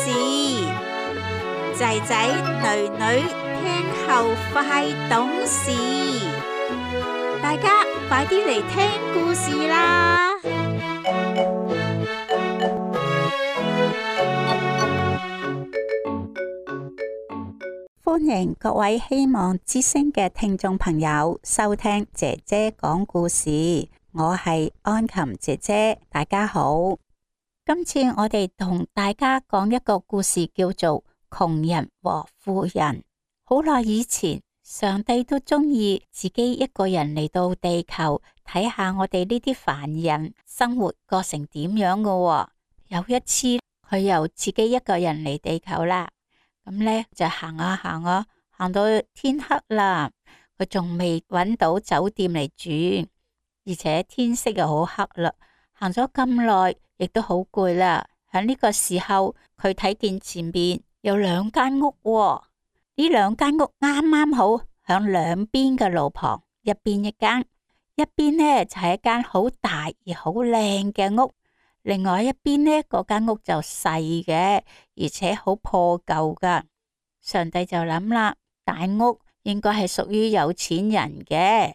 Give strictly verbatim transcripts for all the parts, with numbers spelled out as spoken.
事，仔仔女女聽後快懂事，大家快啲嚟聽故事啦！歡迎各位希望之聲嘅聽眾朋友收聽姐姐講故事，我係安琴姐姐，大家好。今次我哋同大家講一個故事，叫做窮人和富人。好耐以前，上帝都中意自己一個人嚟到地球睇下我哋呢啲凡人生活過成點樣噶喎。有一次，佢又自己一個人嚟地球啦。咁咧就行啊行啊，行到天黑啦，佢仲未搵到酒店嚟住，而且天色又好黑啦。行咗咁耐，亦都好攰啦。喺呢個時候，佢睇見前面有兩間屋喎，呢兩間屋啱啱好響兩邊嘅路旁，一邊一間，一邊呢就係一間好大而好靚嘅屋。另外一邊呢，嗰間屋就細嘅，而且好破舊噶。上帝就諗啦，大屋應該係屬於有錢人嘅，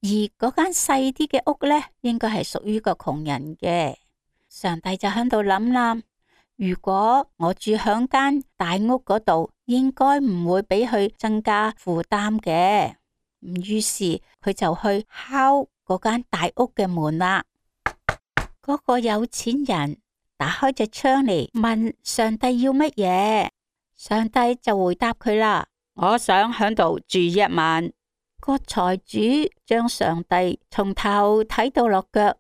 而嗰間細啲嘅屋呢，應該係屬於個窮人嘅。上帝就喺度諗啦，如果我住響間大屋嗰度，應該唔會俾佢增加負擔嘅。於是佢就去敲嗰間大屋嘅門啦。嗰個有錢人打開隻窗嚟問上帝要乜嘢，上帝就回答佢啦：我想響度住一晚。個財主將上帝從頭睇到落腳，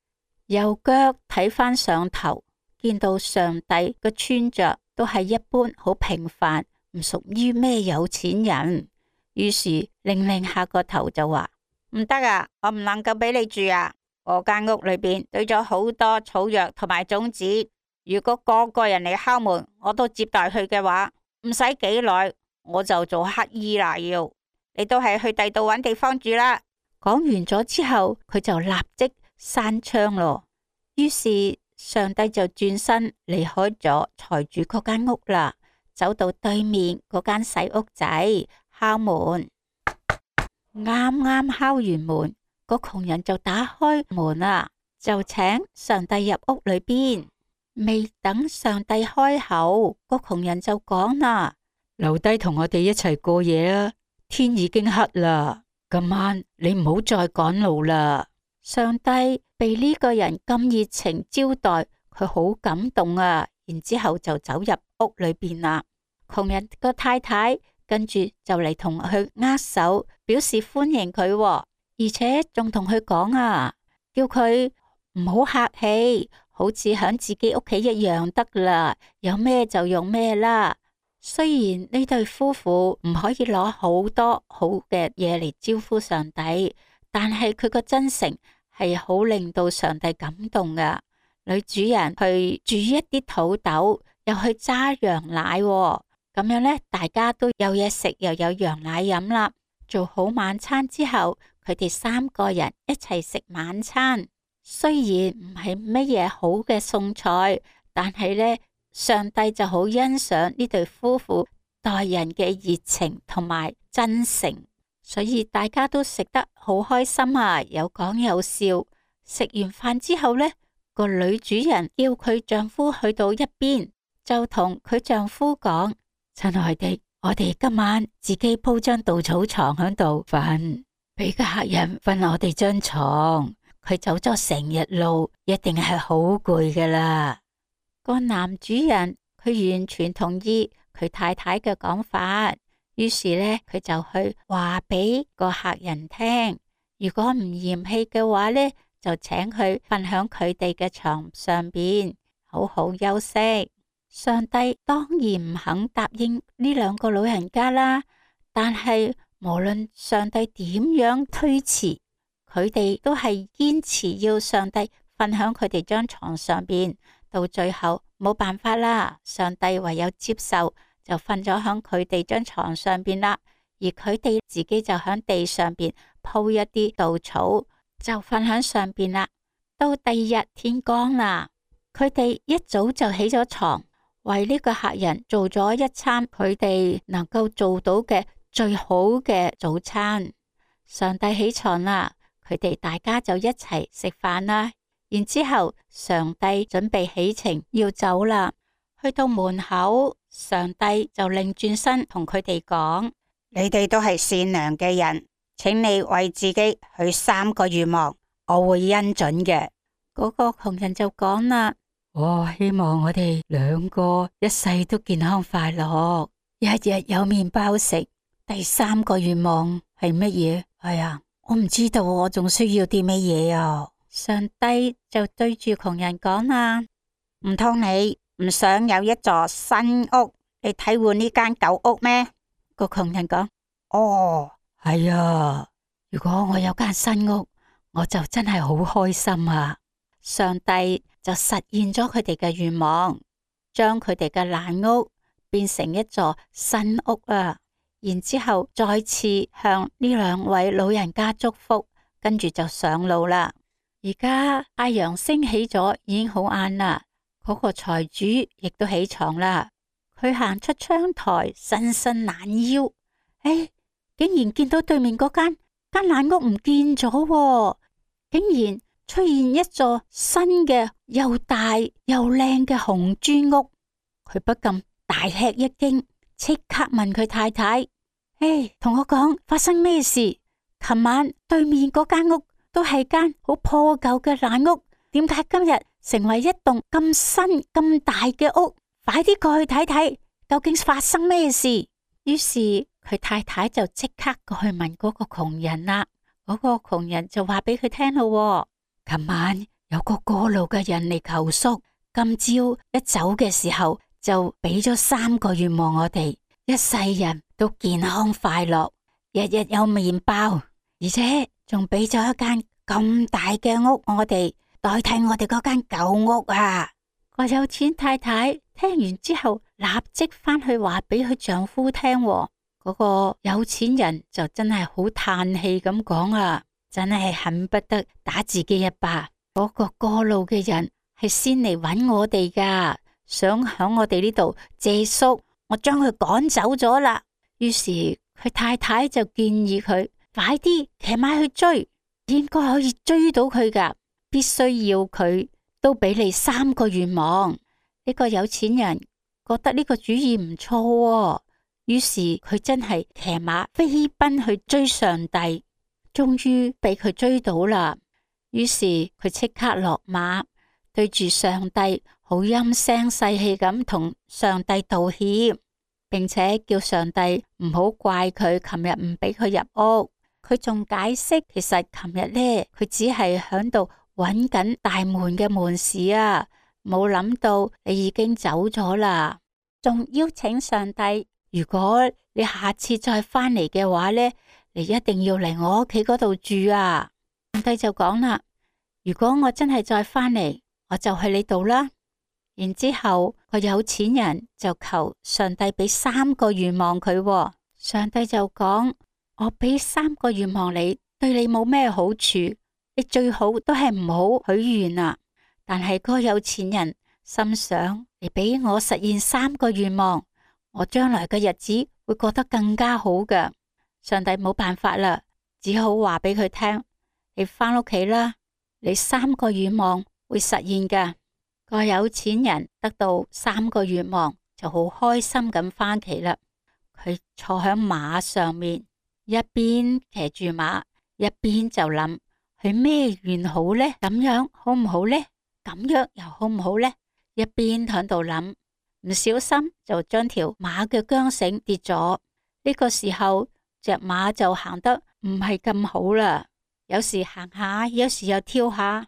由腳睇返上頭，見到上帝嘅穿着都係一般好平凡，唔屬於咩有錢人。於是擰擰下個頭就話：唔得啊，我唔能夠俾你住啊！我間屋裏邊堆咗好多草藥同埋種子，如果個個人嚟敲門，我都接待佢嘅話，唔使幾耐我就做乞衣啦。要你都係去第度搵地方住啦。講完咗之後，佢就立即閂窗咯。於是上帝就轉身離開咗財主嗰間屋啦，走到對面嗰間細屋仔敲門。啱啱敲完門，個窮人就打開門啦，就請上帝入屋裏邊。未等上帝開口，個窮人就講啦：留低同我哋一齊過夜啊！天已經黑啦，今晚你唔好再趕路啦。上帝被呢個人咁熱情招待，佢好感動啊！然之後就走入屋裏邊啦。窮人個太太跟住就嚟同佢握手，表示歡迎佢喎。而且仲同佢講啊，叫佢唔好客氣，好似響自己屋企一樣得啦，有咩就用咩啦。雖然呢對夫婦唔可以攞好多好嘅嘢嚟招呼上帝，但係佢個真誠係好令到上帝感動噶。女主人去煮一啲土豆，又去揸羊奶喎，咁樣呢，大家都有嘢食，又有羊奶飲啦。做好晚餐之後，佢哋三個人一齊食晚餐。雖然唔係乜嘢好嘅餸菜，但係呢，上帝就好欣賞呢對夫婦待人嘅熱情同埋真誠，所以大家都食得好開心啊，有講有笑。食完飯之後呢，個女主人叫佢丈夫去到一邊，就同佢丈夫講：親愛的，我哋今晚自己鋪張稻草床喺度瞓，俾個客人瞓我哋張床。佢走咗成日路，一定係好攰噶啦。個男主人佢完全同意佢太太嘅講法，於是呢，佢就去話俾個客人聽，如果唔嫌棄嘅話呢，就請佢瞓響佢哋嘅床上邊，好好休息。上帝當然唔肯答應呢兩個老人家啦，但係無論上帝點樣推辭，佢哋都係堅持要上帝瞓響佢哋張床上邊。到最後冇辦法啦，上帝唯有接受，就瞓咗響佢哋張床上邊啦。而佢哋自己就響地上邊鋪一啲稻草，就瞓響上邊啦。到第二日天光啦，佢哋一早就起咗床，為呢個客人做咗一餐佢哋能夠做到嘅最好嘅早餐。上帝起床啦，佢哋大家就一齊食飯啦。然之後上帝準備起程要走啦，去到門口，上帝就擰轉身同佢哋講：你哋都係善良嘅人，請你為自己許三個願望，我會恩准嘅。嗰個窮人就講啦：我希望我哋兩個一世都健康快樂，日日有麵包食。第三個願望係乜嘢？哎呀，我唔知道，我仲需要啲乜嘢啊？上帝就對住窮人講啦：唔通你唔想有一座新屋嚟替換呢間舊屋咩？個窮人講：哦，係啊，如果我有間新屋，我就真係好開心啊！上帝就實現咗佢哋嘅願望，將佢哋嘅爛屋變成一座新屋啊！然之後再次向呢兩位老人家祝福，跟住就上路啦。而家太陽升起咗，已經好晏啦。嗰個財主亦都起床啦。佢行出窗台，伸伸懶腰，哎，竟然見到對面嗰間間爛屋唔見咗，竟然出現一座新嘅又大又靚嘅紅磚屋。佢不禁大吃一驚，即刻問佢太太：哎，同我講發生咩事？琴晚對面嗰間屋都係間好破舊嘅爛屋，點解今日成為一棟咁新咁大嘅屋？快啲過去睇睇，究竟發生咩事？於是佢太太就即刻過去問嗰個窮人啦。嗰個窮人就話俾佢聽咯：琴晚有個過路嘅人嚟求宿，今朝一走嘅時候就俾咗三個願望我哋，一世人都健康快樂，日日有麵包，而且仲俾咗一間咁大嘅屋我哋，代替我哋嗰間舊屋啊！個有錢太太聽完之後，立即翻去話俾佢丈夫聽。嗰個有錢人就真係好嘆氣咁講啊，真係恨不得打自己一巴。嗰個過路嘅人係先嚟揾我哋噶，想響我哋呢度借宿，我將佢趕走咗啦。於是佢太太就建議佢快啲騎馬去追，應該可以追到佢噶，必須要佢都俾你三個願望。呢個有錢人覺得呢個主意唔錯喎，於是佢真係騎馬飛奔去追上帝，終於俾佢追到啦。於是佢即刻落馬，對住上帝好陰聲細氣咁同上帝道歉，並且叫上帝唔好怪佢琴日唔俾佢入屋。佢仲解釋，其實琴日呢，佢只係響度揾緊大門嘅門匙啊，冇諗到你已經走咗啦。仲邀請上帝，如果你下次再翻嚟嘅話呢，你一定要嚟我屋企嗰度住啊。上帝就講啦：如果我真係再翻嚟，我就去你度啦。然之後個有錢人就求上帝俾三個願望佢，上帝就講：我俾三個願望你，對你冇咩好處，你最好都係唔好許願啊。但係個有錢人心想：你俾我實現三個願望，我將來嘅日子會過得更加好嘅。上帝冇辦法啦，只好話俾佢聽：你翻屋企啦，你三個願望會實現㗎。個有錢人得到三個願望，就好開心咁翻屋企啦。佢坐響馬上面，一邊騎住馬，一邊就諗：佢咩願好呢？咁樣好唔好呢？咁樣又好唔好呢？一邊響度諗，唔小心就將條馬嘅韁繩跌咗。呢個時候，隻馬就行得唔係咁好啦，有時行下，有時又跳下，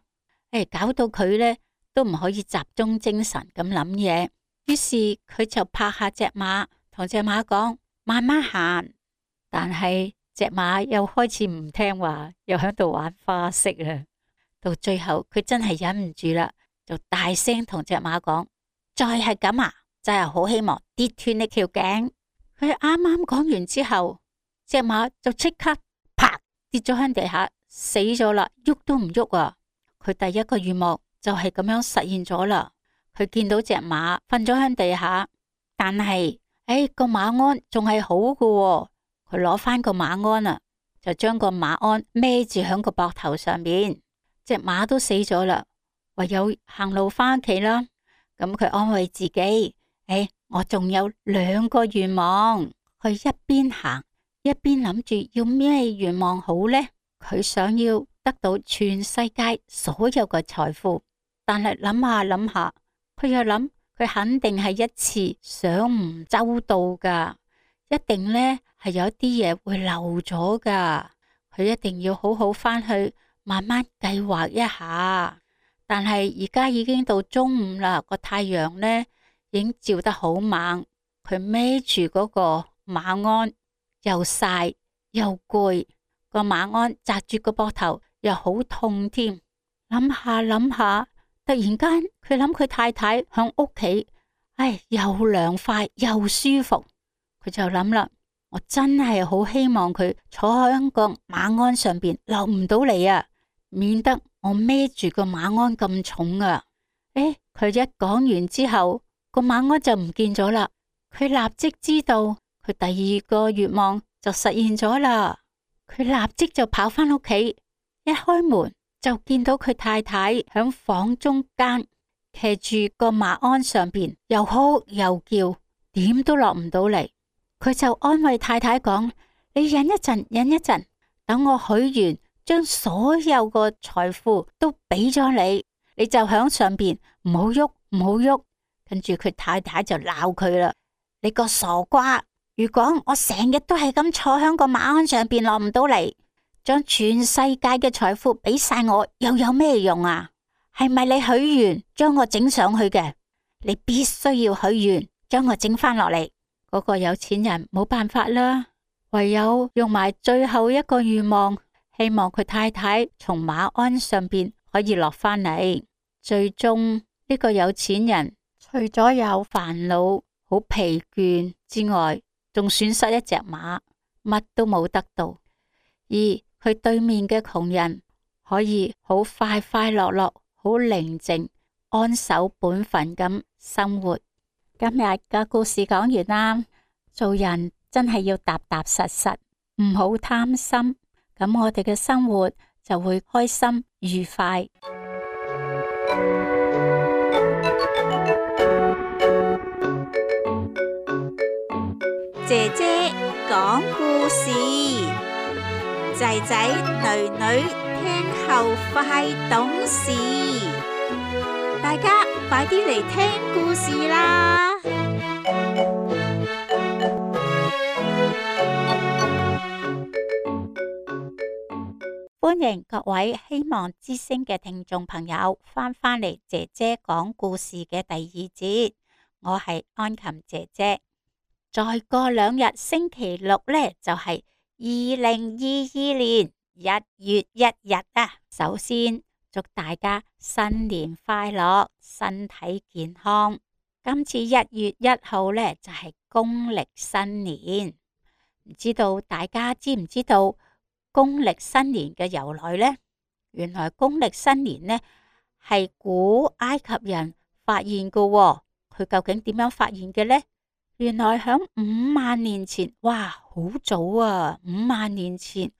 誒，搞到佢呢都唔可以集中精神咁諗嘢。於是佢就拍下隻馬，同隻馬講：慢慢行。但係隻馬又開始唔聽話，又喺度玩花式啦。到最後佢真係忍唔住啦，就大聲同隻馬講：再係咁啊，真係好希望跌斷你條頸。佢啱啱講完之後，隻馬就即刻啪跌咗喺地下，死咗啦，喐都唔喐啊！佢第一個願望就係咁樣實現咗啦。佢見到隻馬瞓咗喺地下，但係誒個馬鞍仲係好嘅喎，佢攞翻個馬鞍啊，就將個馬鞍孭住喺個膊頭上面，隻馬都死咗啦，唯有行路翻屋企啦。咁佢安慰自己，誒，我仲有兩個願望。佢一邊行一邊諗住要咩願望好呢？佢想要得到全世界所有嘅財富，但係諗下諗下，佢又諗佢肯定係一次想唔周到噶，一定呢係有啲嘢會漏咗噶，佢一定要好好翻去慢慢計劃一下。但係而家已經到中午啦，個太陽呢已經照得好猛，佢孭住嗰個馬鞍又曬又攰，個馬鞍扎住個膊頭又好痛添。諗下諗下，突然間佢諗佢太太響屋企，唉，又涼快又舒服，佢就諗啦，我真係好希望佢坐喺個馬鞍上邊落唔到嚟啊，免得我孭住個馬鞍咁重啊！誒，佢一講完之後，個馬鞍就唔見咗啦。佢立即知道佢第二個願望就實現咗啦。佢立即就跑翻屋企，一開門就見到佢太太響房中間騎住個馬鞍上邊，又哭又叫，點都落唔到嚟。佢就安慰太太講：你忍一陣，忍一陣，等我許願。將所有個財富都俾咗你，你就響上邊唔好喐，唔好喐。跟住佢太太就鬧佢啦：你個傻瓜！如果我成日都係咁坐響個馬鞍上邊落唔到嚟，將全世界嘅財富俾晒我，又有咩用啊？係咪你許願將我整上去嘅？你必須要許願將我整翻落嚟。嗰個有錢人冇辦法啦，唯有用埋最後一個願望。希望佢太太從馬鞍上邊可以落翻嚟。最終呢個有錢人除咗有煩惱、好疲倦之外，仲損失一隻馬，乜都冇得到。而佢對面嘅窮人可以好快快樂樂、好寧靜、安守本分咁生活。今日嘅故事講完啦，做人真係要踏踏實實，唔好貪心。咁我哋嘅生活就會開心愉快。姐姐講故事，仔仔女女聽後快懂事。大家快啲嚟聽故事啦！歡迎各位希望之聲嘅聽眾朋友翻返嚟姐姐講故事嘅第二節，我係安琴姐姐。再過兩日星期六呢，就係二零二二年一月一日啊！首先祝大家新年快樂，身體健康。今次一月一號呢，就係公曆新年，唔知道大家知唔知道公曆新年嘅由來呢？原來公曆新年呢係古埃及人發現嘅喎，佢究竟點樣發現嘅呢？原來響五萬年前，哇，好早啊！五萬年前，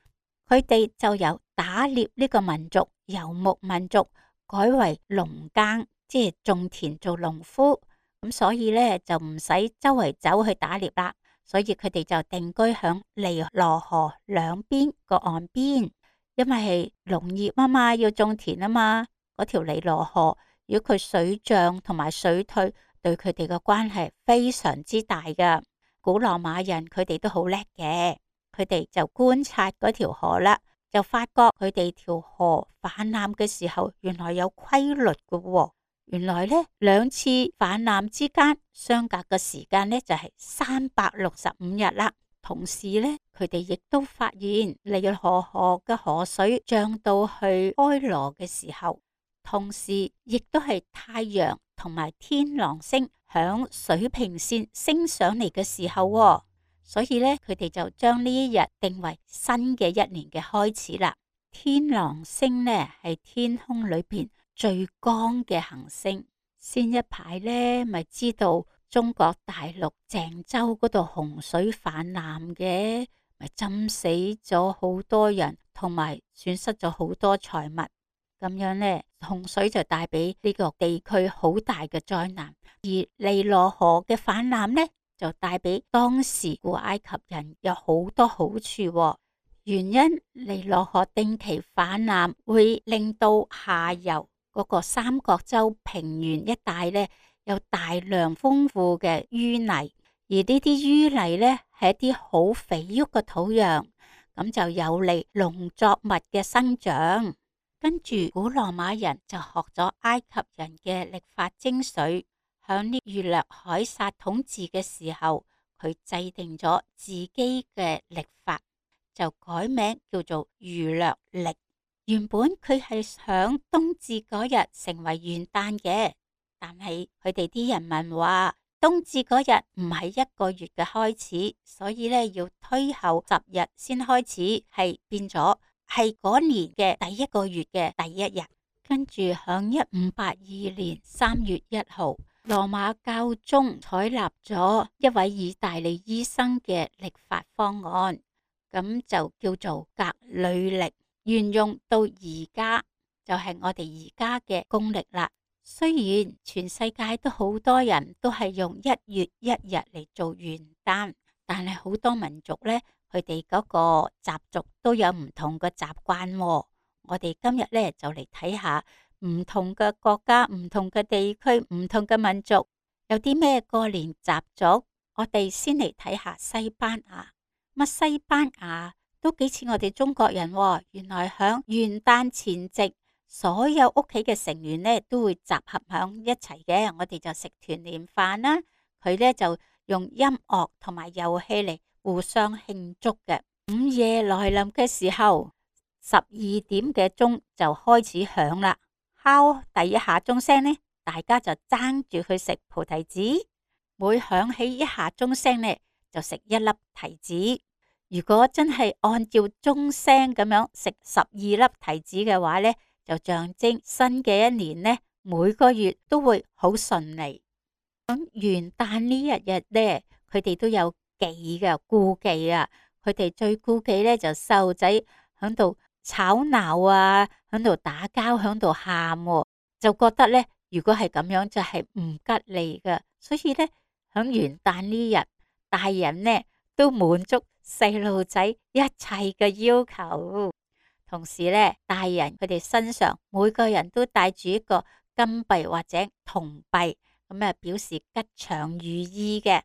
佢哋就由打獵呢個民族、游牧民族改為農耕，即係種田做農夫。咁所以呢，就唔使周圍走去打獵啦。所以佢哋就定居響尼羅河兩邊個岸邊，因為係農業啊嘛，要種田啊嘛。嗰條尼羅河，如果佢水漲同埋水退，對佢哋嘅關係非常之大噶。古羅馬人佢哋都好叻嘅，佢哋就觀察嗰條河啦，就發覺佢哋條河泛濫嘅時候，原來有規律嘅喎。原來呢兩次泛濫之間相隔嘅時間呢，就係三百六十五日啦。同時呢，佢哋亦都發現尼羅河嘅河水漲到去開羅嘅時候，同時亦都係太陽同埋天狼星響水平線升上嚟嘅時候喎。所以呢，佢哋就將呢一日定為新嘅一年嘅開始啦。天狼星呢係天空裏邊最光嘅行星，先一排呢，咪知道中國大陸鄭州嗰度洪水泛濫嘅，咪浸死咗好多人，同埋損失咗好多財物。咁樣呢，洪水就帶俾呢個地區好大嘅災難，而尼羅河嘅泛濫呢，就帶俾當時古埃及人有好多好處喎。原因尼羅河定期泛濫會令到下游嗰個三角洲平原一帶呢，有大量豐富嘅淤泥，而呢啲淤泥呢，係一啲好肥沃嘅土壤，咁就有利農作物嘅生長。跟住古羅馬人就學咗埃及人嘅曆法精髓，響呢儒略凱撒統治嘅時候，佢制定咗自己嘅曆法，就改名叫做儒略曆。原本佢係響冬至嗰日成為元旦嘅，但係佢哋啲人民話冬至嗰日唔係一個月嘅開始，所以咧要推後十日先開始，係變咗係嗰年嘅第一個月嘅第一日。跟住響一五八二年三月一號，羅馬教宗採納咗一位意大利醫生嘅曆法方案，咁就叫做格里曆，沿用到而家，就係我哋而家嘅公曆啦。雖然全世界都好多人都係用一月一日嚟做元旦，但係好多民族呢，佢哋嗰個習俗都有唔同嘅習慣喎。我哋今日呢，就嚟睇下唔同嘅國家、唔同嘅地區、唔同嘅民族有啲咩過年習俗。我哋先嚟睇下西班牙。乜西班牙都幾似我哋中國人喎。原來響元旦前夕，所有屋企嘅成員呢都會集合響一齊嘅，我哋就食團年飯啦。佢呢就用音樂同埋遊戲嚟互相慶祝嘅。午夜來臨嘅時候，十二點嘅鐘就開始響啦。敲第一下鐘聲呢，大家就爭住去食菩提子。每響起一下鐘聲呢，就食一粒提子。如果真係按照鐘聲咁樣食十二粒提子嘅話呢，就象徵新嘅一年呢，每個月都會好順利。咁元旦呢一日呢，佢哋都有忌嘅顧忌啊。佢哋最顧忌呢，就細路仔響度吵鬧啊，響度打交，響度喊，就覺得呢，如果係咁樣就係唔吉利嘅。所以呢，響元旦呢日，大人呢都滿足細路仔一切嘅要求。同時呢，大人佢哋身上每個人都帶住一個金幣或者銅幣，咁啊表示吉祥如意嘅。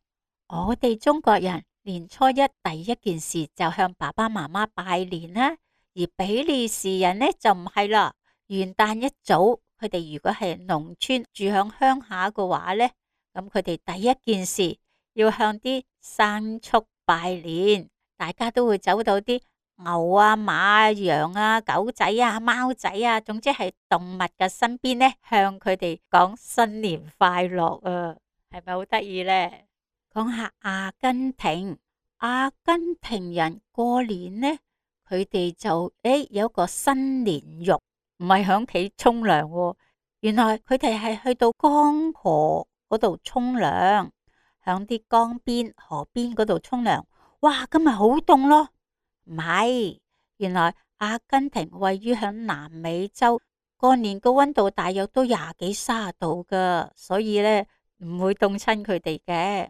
我哋中國人年初一第一件事就向爸爸媽媽拜年啦，而比利時人呢就唔係啦。元旦一早，佢哋如果係農村住響鄉下嘅話呢，咁佢哋第一件事要向啲牲畜拜年，大家都會走到啲牛啊、馬啊、羊啊、狗仔啊、貓仔啊，總之係動物嘅身邊呢，向佢哋講新年快樂啊，係咪好得意呢？講下阿根廷，阿根廷人過年呢，佢哋就誒有個新年浴，唔係響屋企沖涼，原來佢哋係去到江河嗰度沖涼，響啲江邊、河邊嗰度沖涼。哇，今日好凍咯！唔係，原來阿根廷位於響南美洲，過年個溫度大約都廿幾卅度噶，所以呢唔會凍親佢哋嘅。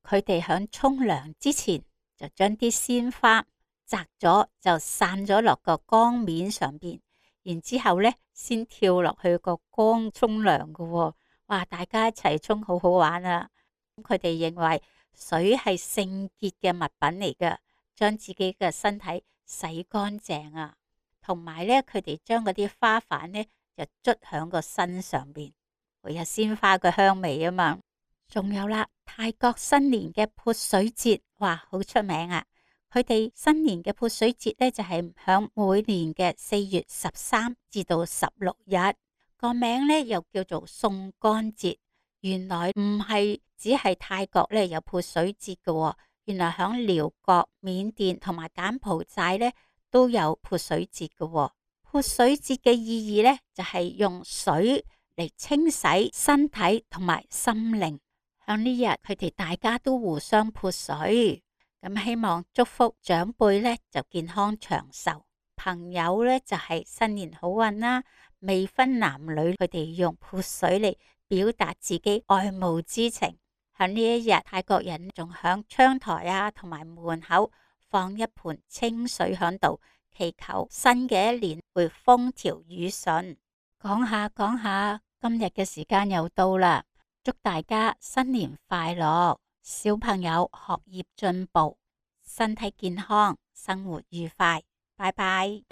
佢哋響沖涼之前就將啲鮮花摘咗，就散咗落個江面上邊，然之後呢先跳落去個江沖涼噶。哇，大家一齊沖好好玩啊！佢哋認為水係聖潔嘅物品嚟噶，將自己嘅身體洗乾淨啊，同埋咧，佢哋將嗰啲花瓣咧就捽響個身上邊，會有鮮花嘅香味啊嘛。仲有啦，泰國新年嘅潑水節，哇，好出名啊！佢哋新年嘅潑水節咧就係響每年嘅四月十三至到十六日，個名咧又叫做送乾節。原來唔係只係泰國咧有潑水節嘅，原來響寮國、緬甸同埋柬埔寨咧都有潑水節嘅。潑水節嘅意義咧就係用水嚟清洗身體同埋心靈。響呢日佢哋大家都互相潑水，咁希望祝福長輩呢就健康長壽，朋友呢就係新年好運啦。未分男女，佢哋用潑水嚟表達自己愛慕之情。響呢一日，泰國人仲響窗台啊同埋門口放一盆清水響度，祈求新嘅一年會風調雨順。講下講下，今日嘅時間又到啦，祝大家新年快樂，小朋友學業進步，身體健康，生活愉快，拜拜。